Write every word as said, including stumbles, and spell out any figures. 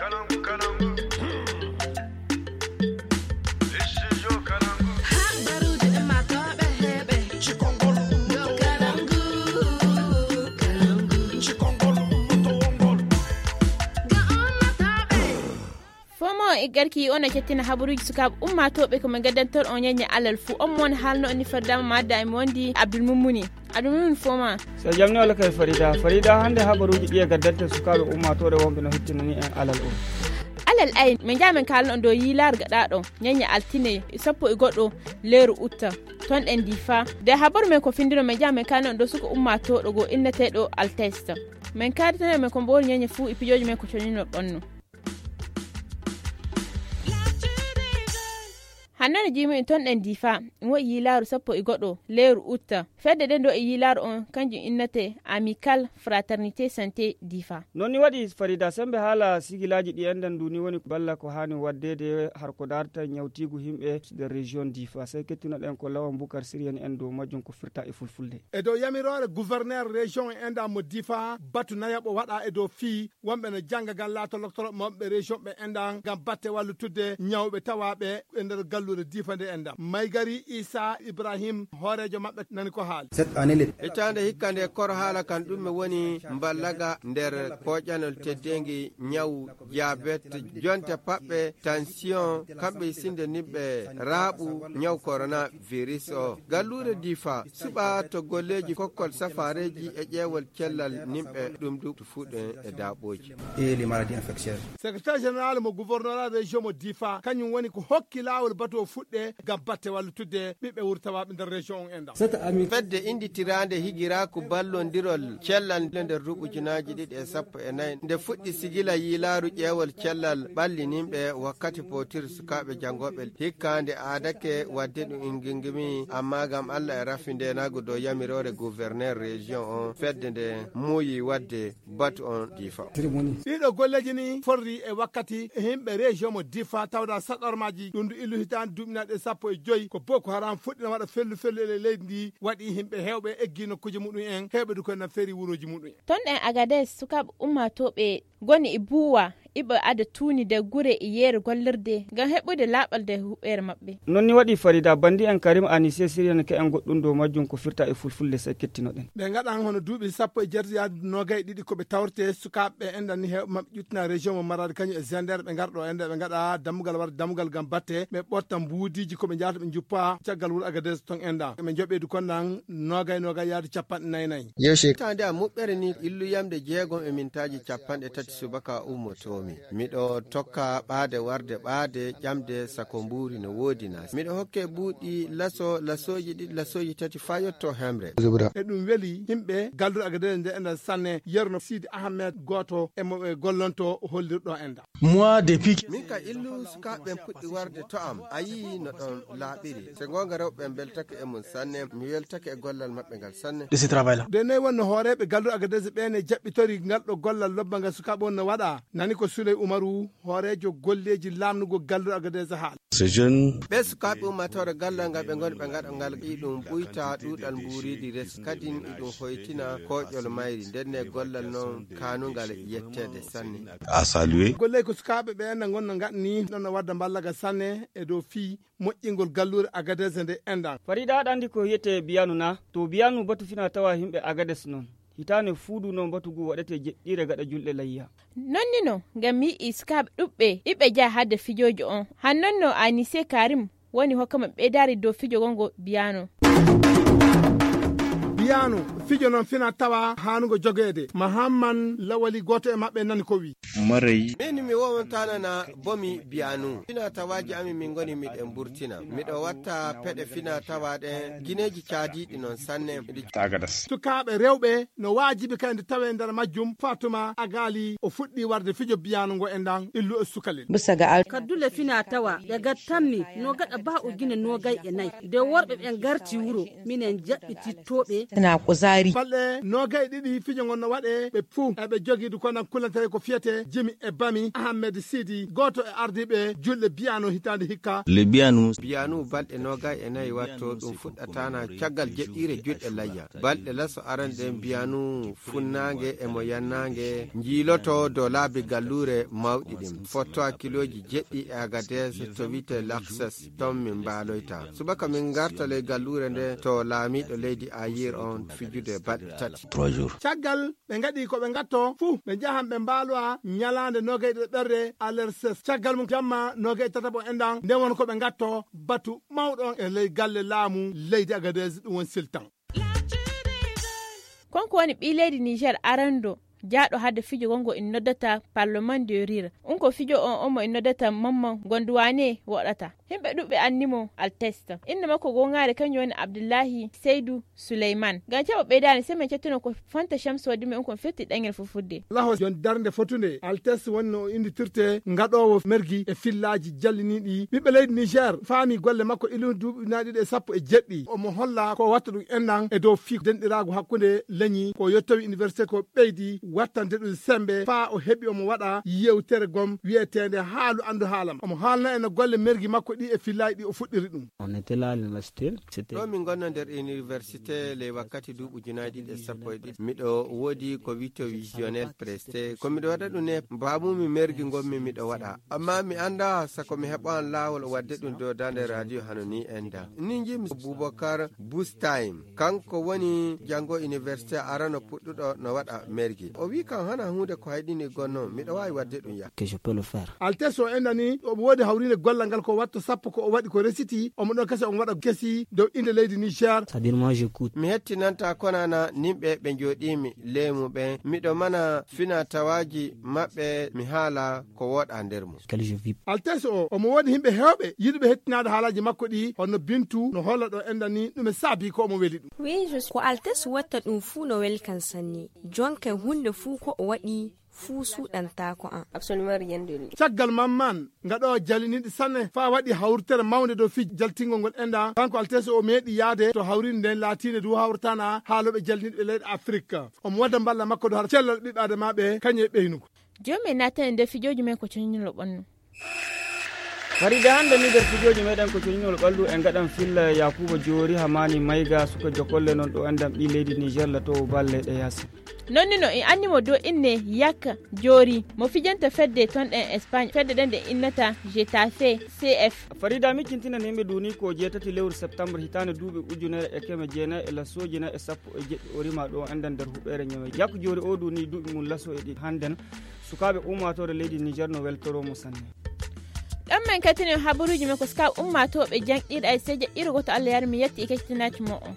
Fomo e garki on a cettina habaruuji sukaaɓe ummaatooɓe ko min gaddantor on ñañña alal fuu. On mo woni haalno on ni fardama madda e mo wondi Abdul Mummuni. Abdul Mummuni, foma. So jam ni wala kay Farida. Farida, hannde habaruuji ɗi e gaddante sukaaɓe ummaatooɓe wonɓe no hettinani en alal o. Alal ay, min njaha min kaalno on dow yiilaar gaɗaaɗo ñañña altine sappo e goɗɗo leeru utta. Ton ɗen Difa. De habaru men ko findino min njaha min kaalno on dow suka ummaatooɗo go inneteeɗo Altesta. Min kaaditano men ko mboori ñañña fuu e pijooji men ko conino ɗonno. Hannde no jiimi en ton ɗen Difa, en waɗi yiilaaru sappo e goɗɗo leeru utta. Fedde ɗen ɗo e yiilaaru on, kanjum innete Amical Fraternité Santé Difa. Noon ni waɗi Farida, sembe haala sigilaaji ɗi enɗan ndu ni woni balla ko haani waɗdeede har ko daarta ñawtiigu yimɓe nder région Difa. Sey kettunoɗen ko Lawan Bukar Siriyani en dow majjum ko firta e fulfulde. E dow yamiroore gouverneur région en enɗan mo Difa, batu nayaɓo waɗa e dow fii wonɓe no jannga ngam laato loktoro maɓɓe région ɓe enɗan ngam batte wallitudde ñawɓe tawaaɓe e nder galluure Difa nde enɗan. Maygari Isa Ibrahim, hooreejo maɓɓe, nani ko haali. Hitaande hikka nde koro haala kan ɗum mi woni mballaga nder koƴanol teddeengi ñaw diabète, jonte paɓɓe, tension, kamɓe sinde nimɓe raaɓu ñaw coronavirus o. Galluure Difa suɓa to golleeji kokkol safaareeji e ƴeewol cellal nimɓe ɗum du fuɗɗen e daaɓooji. Secrétaire général mo gouvernorat région mo Difa, kañum woni ko hokki laawol batu o fuɗɗe ngam batte wallitudde ɓiɓɓe wurtawaaɓe nder région on enɗan. Fedde innditiraande higiraaku ballondirol cellal nde nder duuɓi ujunaaji ɗiɗi e sappo e nayi, nde fuɗɗi sigila yiilaaru ƴeewol cellal ɓallininɓe wakkati potir sukaaɓe janngooɓe. Hikka nde aadake waɗde ɗum ingingimi, amma ngam Allah e rafi ndeenaagu dow yamiroore gouverneur région on, fedde nde muuyi waɗde batu on Difa. Ɗiɗo golleeji ni forri e wakkati e yimɓe région mo Difa tawda saɗormaaji ɗum ndu illu hitaande duuɓinaaɗe sappo e joyi ko Boko Haram fuɗɗina waɗa fellu fellu e leydi ndi, waɗi yimɓe heewɓe eggi nokkuuji muɗum en, heewɓe du koye na feeri wurooji muɗum en. Ton ɗen Agades, sukaaɓe ummaatooɓe goni e buuwa iɓe ada tuuni de gure e yeere gollirde ngam heɓude laaɓal de huɓeere maɓɓe. Noon ni waɗi Farida, bandi en Karim Anise siriyani ka en goɗɗum dow majjum ko firta e fulfulde sey kettinoɗen. Ɓe ngaɗan hono duuɓi sappo e jeetati yaade noogay ɗiɗi ko ɓe tawrete sukaaɓe ɓe enɗan ni heewɓe maɓɓe ƴuttina région mo Maradi kañum e Zender ɓe ngarɗo enɗan ɓe ngaɗa dammugal warde dammugal ngam batte ɓe ɓotta mbuudiiji ko ɓe njahata ɓe njuppa caggal wuro Agadez ton enɗan. Ɓe njoɓeedu kon ɗan noogay noogay yaade capanɗe nayi nayi. Yeeshi. Tande am muɓɓere ni illu yamde jeegom e mintaaji capanɗe tati subaka ummotoomi. Miɗo tokka ɓaade warde ɓaade ƴamde sako mbuuri no woodi na. Miɗo hokke buuɗi laso, lasooji ɗiɗi, lasooji tati faa yotto hemre. E ɗum weli yimɓe galluɗo Agadez nde enɗan sanne, yerno Sidi Ahmed gooto e mo ɓe gollonto hollirɗo enɗan. Moi, depuis que Min ka illu sukaaɓe ɓen puɗɗi warde to am, a yii no ɗon laaɓiri. Se goonga rewɓe ɓen mbeltake e mum sanne, mi weltake e gollal maɓɓe ngal sanne. De ce travail-là. De noy wonno hooreeɓe galluɗo Agadez ɓen e jaɓɓitori ngal ɗo gollal lobba ngal sukaaɓe on no waɗa? Nani ko Suley Umaru, hooreejo golleeji laamnugol galluɗo Agadez haala. Ces jeunes. Ɓee sukaaɓe ummaatoore gallal ngal ɓe ngoni ɓe ngaɗa ngal iɗum ɓuyta ɗuuɗal mbuuriidi res kadin iɗum hoytina kooƴol mayri ndenne gollal non kaanungal yetteede sanne. À saluer. Golley ko sukaaɓe ɓe na ngonna ngaɗni ɗon no wadda mballaga sanne e dow fii moƴƴingol galluure Agadez nde enɗan. Farida, aɗa anndi ko wiyetee biyanu na? To biyanu batu fina tawa yimɓe Agades non. Hitaande fuudu noon batu ngu waɗetee jeɗɗiire gaɗa julɗe layya. Noon ni no, ngam mi yi'i sukaaɓe ɗuɓɓe iɓe njaha hadde fijooji on. Han noon no Anise Karim woni hokkama ɓeydaari dow fijo gongo biyano. Biyano, fijo noon fina tawa haanugo jogeede. Mahamman Lawali gooto e maɓɓe nani ko wi. Maray. Min mi wowantanana bomi biyanu. Fina tawaaji amin min ngoni miɗen burtina. Miɗo watta peɗe fina tawa ɗen gineeji caadiiɗi noon sanne. Tagadas. Sukaaɓe rewɓe no waajibi kadi nde tawee nder majjum. Fatuma Agali o fuɗɗi warde fijo biyano ngo e ndan illu e sukalel. Bisa ga al- Kaddule fina tawa ɗe gattanmi no gaɗa ba o gine nogay e nayi. Nde worɓe ɓen garti wuro, minen jaɓɓitittooɓe. na kuzari. Balɗe noogay ɗiɗi fijo ngon no waɗe, ɓe fuu eɓe jogii du konan kulantere ko fiyete Jimi e Bami Ahmed Sidi, gooto e ardiiɓe julɓe Biyano hitaande hikka. Le Biyanu. Biyanu balɗe noogay e nayi watto, ɗum fuɗɗataana caggal jeɗɗiire julɗe layya. Balɗe laso aran ɗen Biyanu funnaange e mo yannaange njiiloto dow laabi galluure mawɗi ɗin. Fottoa kilooji jeɗɗi e Agadez to wi'ete Laksas, ton min mbaaloyta. Subaka min ngarta ley galluure nde to laamiiɗo leydi Ayir on fijude balɗe tati. Trois jours. Caggal ɓe ngaɗi ko ɓe ngatto fuu, ɓe njahan ɓe mbaalowa ñalaande noogay ɗiɗo ɓerre Alerses. Caggal mum jamma noogay tataɓo enɗan, nde won ko ɓe ngatto batu mawɗo on e ley galle laamu leydi Agadez, ɗum woni Siltan. Konko woni ɓii leydi Niger arando jaaɗo hade fijo gongo in noddata Parlement de Rire. Un ko fijo on omo in noddata Mamman Gondouane woɗata. Himɓe ɗuɓɓe anni mo Alteste. Innde makko gongaare kanjum woni Abdullahi Seydu Suleyman. Ngam caɓo ɓeydaani, sey min cettino ko Fanta Shamsu waddi men, un kon firti ɗeŋel fulfulde. Laho jon darnde fotunde, Altesse woni no o innditirte ngaɗoowo mergi e fillaaji jalliniiɗi. Ɓiɓɓe leydi Niger faami golle makko ilu duuɓi ujunaaji ɗiɗi e sappo e jeɗɗi. Omo holla ko watta ɗum enɗan e dow fii denɗiraagu hakkunde leñi ko yettowi université ko ɓeydi wattande ɗum sembe faa o heɓi omo waɗa yewtere gom wi'eteende Haalu Anndu Haalam. Omo haalna en no golle mergi makko ɗi e fillaaji ɗi o fuɗɗiri ɗum. On était là à l'université. C'était Ɗo min ngonno nder université ley wakkati duuɓi ujunaaji ɗiɗi e sappo e ɗiɗi. Miɗo woodi ko wi'etee visionnaire presté. Ko miɗo waɗa ɗum ne, baabumi mergi ngonmi miɗo waɗa. Amma mi anndaa sako mi heɓan laawol waɗde ɗum dow daande radio hano ni enɗan. Ni njiimi Boubacar Boustime. Kanko woni janngo université arano puɗɗuɗo no waɗa mergi. O wi'i kam hana huunde ko hayɗini gonno, miɗo waawi waɗde ɗum ya. Que je peux le faire. Altesse o enɗani, omo woodi hawriinde gollal ngal ko watto sappo ko o waɗi ko resiti, omo ɗon kasi omo waɗa kesi dow innde leydi Niger. C'est-à-dire, moi, j'écoute. Mi hettinanta konana nimɓe ɓe njooɗiimi ley muɓɓen, miɗo mana fina tawaaji maɓɓe, mi haala ko wooɗa nder mum. Quel je vis. Altesse o, omo woodi himɓe heewɓe yiɗuɓe hettinaade haalaaji makko ɗi, hono Bintu no holla ɗo enɗani ɗum e saabi ko omo weli ɗum. Oui, je suis. Ko Altesse watta ɗum fuu no weli kan sanne. Jonka huunde fuu ko o waɗi fuu suuɗantaako an. Absolument rien de lui. Caggal Mamman, ngaɗoowo jalliniiɗi sanne, faa waɗi hawritere mawnde dow fii jaltingol ngol enɗan. Kanko Altesse o meeɗi yaade to hawriinde nden laatiinde du hawrataana haalooɓe jalliniiɗi ɓe leyɗe Afrik. Omo wadda mballa makko dow har cellal ɓiɓɓe Adamaaɓe, kañum e ɓeynugo. Jooni men naatani nder fijooji men ko coñinol ɓannu. Farida, hannde ni nder fijooji meɗen ko coñinol ɓallu, en ngaɗan filla Yakuba Joori Hamani Mayga, suka jokolle non ɗo enɗan ɓii leydi Niger latoowo bal leyɗe yaasi. Non ni no en anni mo dow inne Yak Joori, mo fijanta fedde ton ɗen Espagne, fedde ɗen ɗe innata Getafe C F. Farida, miccintinan yimɓe duuni ko jeetati lewru septembre hitaande duuɓi ujunere e keme jeenayi e lasooji nayi e sappo e jeɗɗi o rima ɗo enɗan nder huɓeere Ñamey. Yak Joori o duuni duuɓi mum laso e ɗiɗi hannden. Sukaaɓe ummaatoore leydi Niger no weltoroo mo sanne. Ɗon men kettini habaruuji men ko sukaaɓe ummaatooɓe janɗiiɗe ay seeje iro goto Allah yar mi yetti e keccitinaaji mo on.